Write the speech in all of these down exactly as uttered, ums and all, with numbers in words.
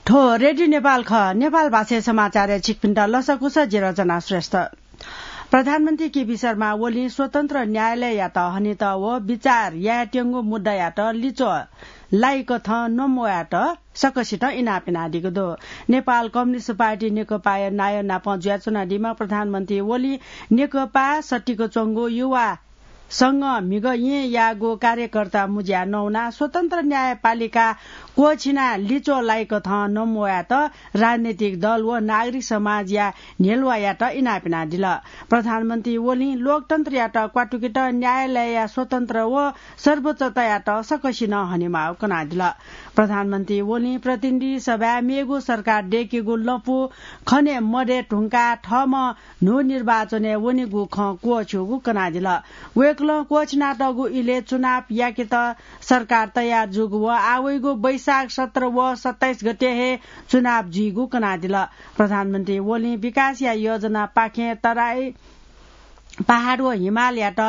थ्व रेडियो नेपाल खः। नेपाल भाषाय् समाचारय् छिकपिन्त लसकुस, जि रचना श्रेष्ठ। प्रधानमन्त्री केपी शर्मा ओलीं स्वतन्त्र न्यायालययात हनेत व विचार यायेत्यंगु मुद्दायात लिच्वः लाइकथं नमवयात सकसितं इनाप यानादीगु दु। नेपाल कम्युनिस्ट पार्टी नेकपाया नायः नाप जुयाच्वनादीम्ह प्रधानमन्त्री ओलीं नेकपा सतिक च्वंगु युवा संघ म्हिगः येँयागु कार्यकर्ता मुँज्या नवानाः स्वतन्त्र न्यायपालिका क्वःछिनाः लिच्वः लाइकथं नमवयात राजनैतिक दल व नागरिक समाजया न्ह्यलुवायात इनाप यानादिल। प्रधानमन्त्री ओलीं लोकतन्त्रयात क्वातुकेत न्यायालयया स्वतन्त्र व सर्वोच्चतायात सकसिनं हनेमाःगु कनादिल। प्रधानमन्त्री ओलीं प्रतिनिधि सभाय् मेगु सरकार दयेकेगु लँपु खने मदये धुंकाः थःम्हं न्हू निर्वाचनय् वनेगु खँ क्वःछ्यूगु कनादिल। वय्कलं क्वःछिनातःगु इलय् चुनाव याकेत सरकार तयार जूगु व आः वइगु वैशाख सत्र व सत्ताइस गते हे चुनाव जुइगु कनादिल। प्रधानमन्त्री ओलीं विकासया योजनापाखें तराई, पहाड व हिमालयात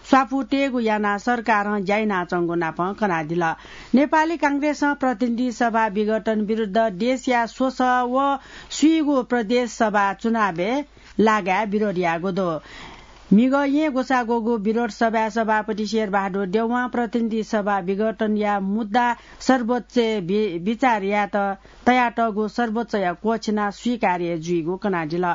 स्वापू तयेगु यानाः सरकारं ज्या यानाच्वंगु नाप कनादिल। नेपाली कांग्रेसं प्रतिनिधि सभा विघटन विरुद्ध देशया स्वसः व स्वीगू प्रदेश सभा चुनावय् लागाय् विरोध याःगु दु। म्हिगः येँ ग्वसाः ग्वःगु विरोध सभाय् सभापति शेरबहादुर देउवां प्रतिनिधि सभा विघटनया मुद्दा सर्वोच्चय् बि-, बिचार यायेत तयातःगु सर्वोच्चया क्वःछिनाः स्वीकार्य जुइगु कनादिल।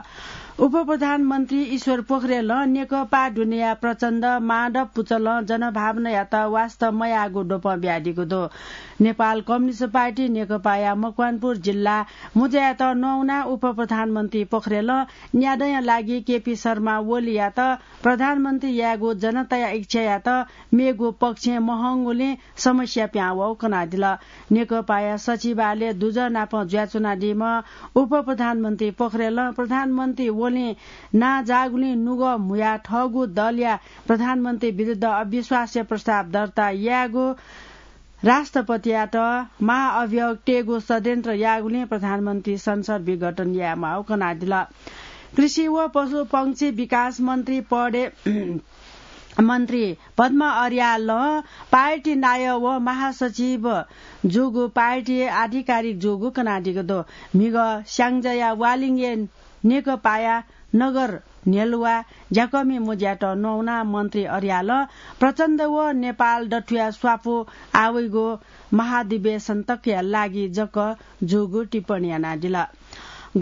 उपप्रधानमन्त्री ईश्वर पोखरेलं नेकपा दुनेया प्रचण्ड माधव पुचलं जनभावनायात वास्ता मयाःगु द्वपं बियादीगु दु। नेपाल कम्युनिस्ट पार्टी नेकपाया मकवानपुर जिल्ला मुँज्यायात नवानाः उपप्रधानमन्त्री पोखरेलं न्यादँया लागि केपी शर्मा ओलीयात प्रधानमन्त्री यायेगु जनताया इच्छायात मेगु पक्षय् महंगुलिं समस्या पिहां वःगु कनादिल। नेकपाया सचिवालय दुजः नाप जुयाच्वनादीम्ह उपप्रधानमन्त्री पोखरेलं प्रधानमन्त्री ओलीं नांजाःगुलिं नुगः म्हुयाः थःगु दलया प्रधानमन्त्री विरुद्ध अविश्वासया प्रस्ताव दर्ता यायेगु राष्ट्रपतियात महाअभियोग तयेगु षड्यन्त्र याःगुलिं प्रधानमन्त्री संसद विघटन यायेमाःगु कनादिल। कृषि व पशुपंक्षी विकास मन्त्री पदय् मन्त्री पद्मा अर्यालं पार्टी नायः व महासचिव जूगु पार्टी आधिकारिक जूगु कनादीगु दु। म्हिगः स्याङ्जाया वालिङय् नेकपाया नगर न्ह्यलुवा ज्याकःमि मुँज्यात नवानाः मन्त्री अर्यालं प्रचण्ड व नेपाल दथुया स्वापू आः वइगु महाधिवेशन तकया लागि जक जूगु टिप्पणी यानादिल।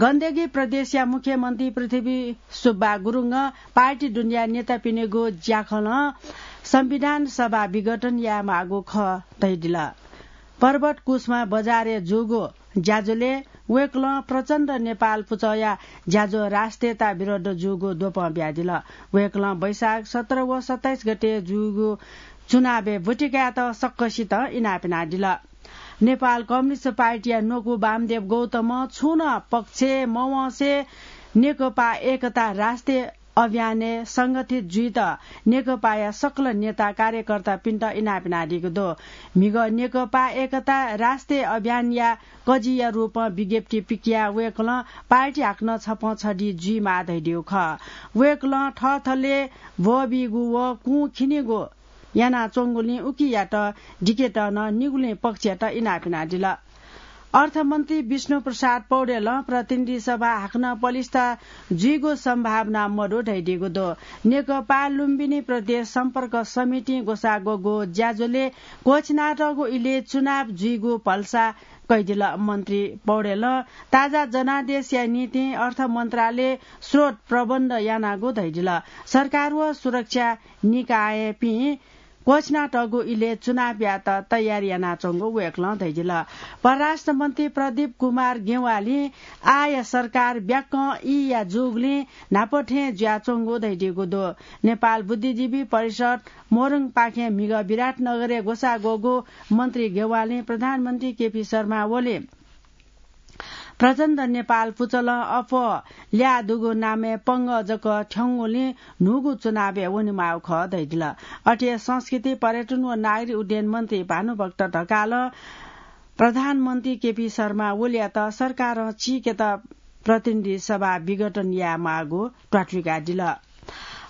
गण्डकी प्रदेशया मुख्यमन्त्री पृथ्वी सुब्बा गुरुङं पार्टी दुनेया नेतापिनिगु ज्याखलं संविधान सभा विघटन यायेमाःगु खः धयादिल। पर्वत कुसमा बजारय् जूगु ज्याझ्वलय् वय्कलं प्रचण्ड नेपाल पुचःया ज्याझ्वः राष्ट्रियता विरुद्ध जूगु द्वपं बियादिल। वय्कलं वैशाख सत्र व सत्ताइस गते जूगु चुनावय् ब्वति कायेत सकसितं इनाप यानादिल। नेपाल कम्युनिस्ट पार्टीया न्वकू वामदेव गौतमं छुं नं पक्षय् मवंसे नेकपा एकता राष्ट्रिय अभियानय् संगठित जुइत नेकपाया सकल नेता कार्यकर्तापिन्त इनाप यानादीगु दु। म्हिगः नेकपा एकता राष्ट्रिय अभियानया कजीया रूपं विज्ञप्ति पिकयाः वय्कलं पार्टी हाकनं छपं छधी जुइमाः धयादीगु खः। वय्कलं थःथलय् भ्वःबीगु व कुं खिनीगु यानाच्वंगुलिं उकियात दिकेत नं निगुलिं पक्षयात इनाप यानादिल। अर्थमन्त्री विष्णु प्रसाद पौडेलं प्रतिनिधि सभा हाकनं पलिस्था जुइगु सम्भावना मदु धयादीगु दु। नेकपा लुम्बिनी प्रदेश सम्पर्क समितिं ग्वसाः ग्वःगु ज्याझ्वलय् क्वःछिनातःगु इलय् चुनाव जुइगु भलसा कयादिल। मन्त्री पौडेलं ताजा जनादेशया निंतिं अर्थ मन्त्रालयं स्रोत प्रबन्ध यानागु धयादिल। सरकार व सुरक्षा निकायपिं क्वःछिनातःगु इलय् चुनाव यायेत तयारी यानाच्वंगु वय्कलं धयादिल। परराष्ट्र मन्त्री प्रदीप कुमार गेवालीं आःया सरकार ब्याक्कं ईया जूगुलिं न्हापा थें जुयाच्वंगु धयादीगु दु। नेपाल बुद्धिजीवी परिषद मोरङपाखें म्हिगः विराटनगरय् ग्वसाः ग्वःगु मन्त्री गेवालीं प्रधानमन्त्री केपी शर्मा ओली प्रचण्ड नेपाल पुचलं अप्वः ल्याः दुगु नामय् पंगः जक थ्यंगुलिं न्हूगु चुनावय् वनेमाःगु खः धयादिल। अथे हे संस्कृति, पर्यटन व नागरिक उड्डयन मन्त्री भानुभक्त ढकालं प्रधानमन्त्री केपी शर्मा ओलीयात सरकारं चीकेत प्रतिनिधि सभा विघटन यायेमाःगु त्वाथुइकादिल।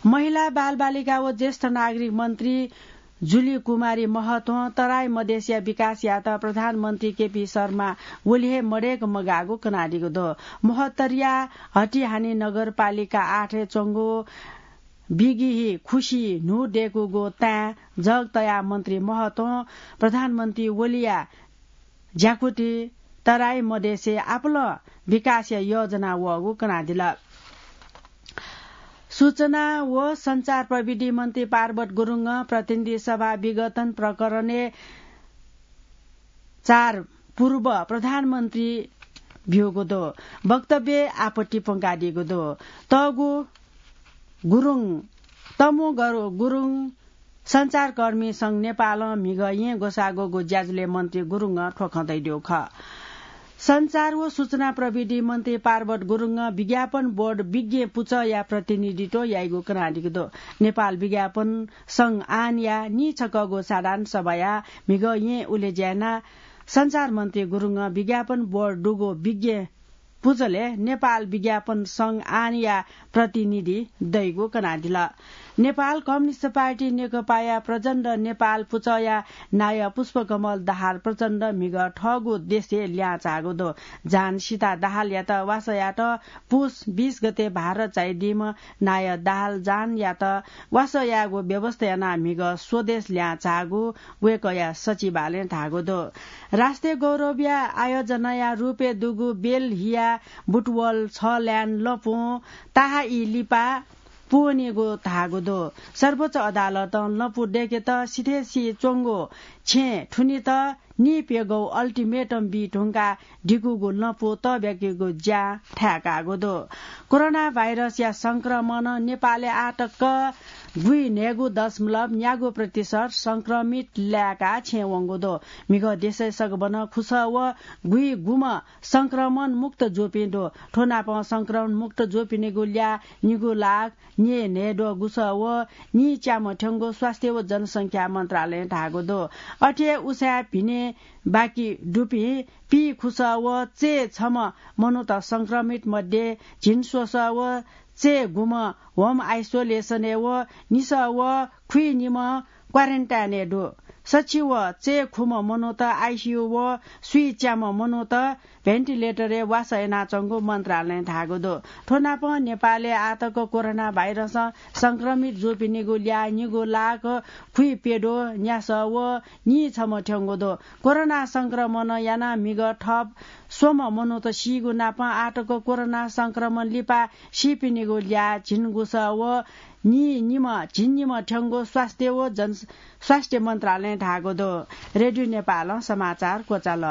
महिला, बालबालिका व ज्येष्ठ नागरिक मन्त्री जुली कुमारी महत्वं तराई मधेसया विकास यात प्रधानमन्त्री केपी शर्मा ओली हे मदय्क मगाःगु कनादीगु दु। महोत्तरीया हटिहानी नगरपालिका आठय् च्वंगु बिगिही खुसी न्हू दय्कूगु ताँय् जग तयाः मन्त्री महत्वं प्रधानमन्त्री ओलीया ज्याकुथि तराई मधेसय् आपालं विकासया योजना वःगु कनादिल। सूचना व सञ्चार प्रविधि मन्त्री पार्वत गुरुङं प्रतिनिधि सभा विघटन प्रकरणय् चार पूर्व प्रधानमन्त्री ब्यूगु दु। वक्तव्यय् आपत्ति प्वंकादीगु दु। तःगु गुरुङ, तमु गरु-, गुरुङ सञ्चारकर्मी संघ नेपालं म्हिगः येँ ग्वसाःगुगु ज्याझ्वलय् मन्त्री गुरुङं थ्व खँ धयादीगु खः। सञ्चार व सूचना प्रविधि मन्त्री पार्वत गुरुङं विज्ञापन बोर्ड विज्ञ पुचःया प्रतिनिधित्व याइगु कनादीगु दु। नेपाल विज्ञापन संघ आनया नीछकःगु साधारण सभाया म्हिगः येँ उलेज्या यानाः सञ्चार मन्त्री गुरुङं विज्ञापन बोर्ड दुगु विज्ञ पुचलय् नेपाल विज्ञापन संघ आनया प्रतिनिधि दइगु कनादिल। नेपाल कम्युनिस्ट पार्टी नेकपाया प्रचण्ड नेपाल पुचःया नायः पुष्पकमल दाहाल प्रचण्ड म्हिगः थःगु देशय् ल्याहां झाःगु दु। जान सीता दाहालयात वासः यायेत पुस बीस गते भारत झायादीम्ह नायः दाहाल जानयात वासः यायेगु व्यवस्था यानाः म्हिगः स्वदेश ल्याहां झाःगु वय्कःया सचिवालयं धाःगु दु। राष्ट्रिय गौरवया आयोजनाया रूपय् दुगु बेल्हिया बुटवल छल्यान लँपुं ताहाई लिपा पूवनीगु धाःगु दु। सर्वोच्च अदालतं लँपु दय्केत सिथय् सी च्वंगु छेँय् थुनित निप्यघौ ultimatum बी धुंकाः दिकूगु लँपु तःब्याकीगु ज्या थाय्काःगु दु। कोरोना भाइरसया संक्रमणं नेपालय् आः तक गुइन्हय्गू दशमलव न्यागू प्रतिशत संक्रमित लाय्काः छेँ वंगु दु। म्हिगः देशय् सगबनं खुसः व गुइगुम्ह संक्रमण मुक्त जूपिं दु। थ्व नापं संक्रमण मुक्त जूपिनिगु ल्याः निगू लाख न्येन्हय्द्वः गुसः व नीच्याम्ह थ्यंगु स्वास्थ्य व जनसंख्या मन्त्रालयं धाःगु दु। अथे हे उसाँय् भिने बाकी दुपिं पीखुसः व चय्छम्ह मनूत संक्रमित मध्ये झिंस्वसः व चय्गुम्ह home isolation-य् व निसः व खुइनिम्ह quarantine-य् दु। सछि व चय्खुम्ह मनूत आइसियु व स्वीच्याम्ह मनूत ventilator-य् वासः यानाच्वंगु मन्त्रालयं धाःगु दु। थ्व नापं नेपालय् आः तक कोरोना भाइरसं संक्रमित जूपिनिगु ल्याः निगू लाख खुइप्यद्वः न्यासः व नीछम्ह थ्यंगु दु। कोरोना संक्रमणं यानाः म्हिगः थप स्वम्ह मनूत सीगु नापं आः तक कोरोना संक्रमण लिपा सीपिनिगु ल्याः झिंगुसः व नीनिम्ह, झिंनिम्ह थ्यंगु स्वास्थ्य व जन-, स्वास्थ्य मन्त्रालयं धाःगु दु। रेडियो नेपालं समाचार क्वचाल।